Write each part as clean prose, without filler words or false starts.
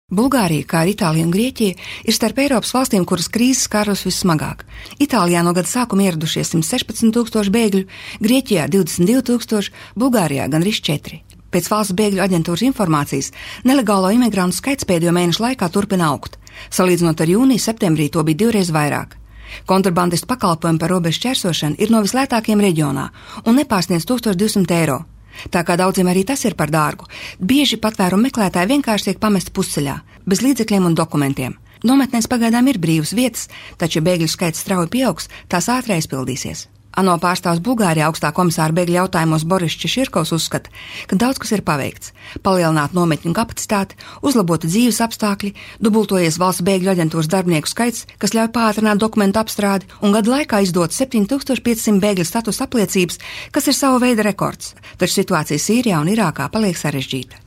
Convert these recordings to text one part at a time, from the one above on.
Bulgārija, kā arī Itālija un Grieķija, ir starp Eiropas valstīm, kuras krīzes skārus vissmagāk. Itālijā no gada sākuma ieradušies 116,000 bēgļu, Grieķijā 22,000, Bulgārijā gandrīz 4. Pēc valsts bēgļu aģentūras informācijas, nelegālo imigrantu skaits pēdējo mēnešu laikā turpina augt. Salīdzinot ar jūniju, septembrī to bija 2 reizes vairāk. Kontrabandistu pakalpojumi par robežu šķērsošanu ir no vislētākiem reģionā un nepārsniedz 1200 eiro. Tā kā daudziem arī tas ir par dārgu, bieži patvērumu meklētāji vienkārši tiek pamesti pusceļā, bez līdzekļiem un dokumentiem. Nometnēs pagaidām ir brīvas vietas, taču bēgļu skaits strauji pieaugs, tās ātri aizpildīsies. ANO pārstāvs Bulgārijā augstā komisāra bēgļu jautājumos Boris Češirkovs uzskata, ka daudz kas ir paveikts. Palielināt nometņu kapacitāti, uzlabota dzīves apstākļi, dubultojies valsts bēgļu aģentūras darbinieku skaits, kas ļauj pātrināt dokumentu apstrādi, un gadu laikā izdot 7500 bēgļu statusa apliecības, kas ir sava veida rekords. Taču situācija Sīrijā un Irākā paliek sarežģīta.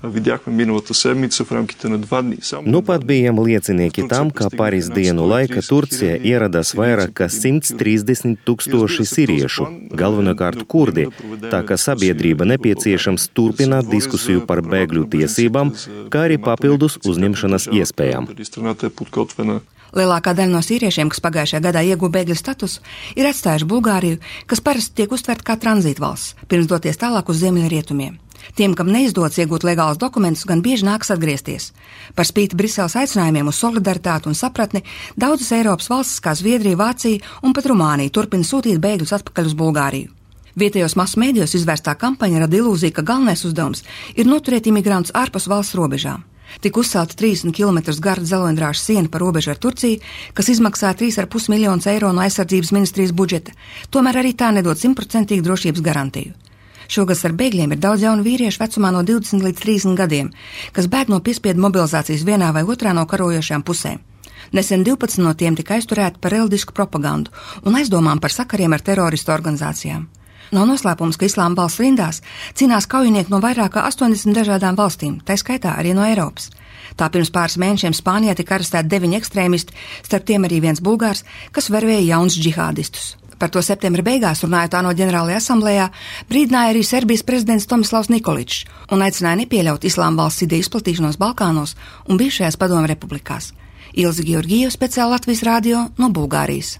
Nu pat bijām liecinieki tam, ka pāris dienu laika Turcija ieradās vairāk kā 130,000 sīriešu, galvenokārt kurdi, tā ka sabiedrība nepieciešams turpināt diskusiju par bēgļu tiesībām, kā arī papildus uzņemšanas iespējām. Lielākā daļa no sīriešiem, kas pagājušajā gadā ieguva bēgļu statusu, ir atstājuši Bulgāriju, kas parasti tiek uztverta kā tranzītvalsts, pirms doties tālāk uz ziemeļrietumiem. Tiem, kam neizdodas iegūt legālus dokumentus, gan bieži nākas atgriezties. Par spīti Briseles aicinājumiem uz solidaritāti un sapratni, daudzas Eiropas valstis, kā Zviedrija, Vācija un pat Rumānija, turpina sūtīt bēgļus atpakaļ uz Bulgāriju. Vietējos masu mēdījos izvērstā kampaņa rada ilūziju, ka galvenais uzdevums ir noturēt imigrantus ārpus valsts robežām. Tik uzcelta 30 km gara dzeloņdrāžu siena par robežu ar Turciju, kas izmaksā 3,5 miljonus eiro no aizsardzības ministrijas budžeta, tomēr arī tā nedod 100% drošības garantiju. Šogad ar bēgļiem ir daudz jaunu vīriešu vecumā no 20 līdz 30 gadiem, kas bēg no piespiedu mobilizācijas vienā vai otrā no karojošajām pusēm. Nesen 12 no tiem tika aizturēti par reliģisku propagandu un aizdomām par sakariem ar teroristu organizācijām. Nav noslēpums, ka Islāma valsts rindās cīnās kaujinieki no vairāk kā 80 dažādām valstīm, tā skaitā arī no Eiropas. Tā pirms pāris mēnešiem Spānijā tika arestēti 9 ekstrēmisti, starp tiem arī viens bulgārs, kas vervēja jaunus džihādistus. Par to septembra beigās runājot ANO ģenerālajā asamblējā, brīdināja arī Serbijas prezidents Tomislavs Nikoličs un aicināja nepieļaut Islāma valsts ideju izplatīšanos Balkānos un bijušajās padomu republikās. Ilze Georgijeva, speciāli Latvijas radio no Bulgārijas.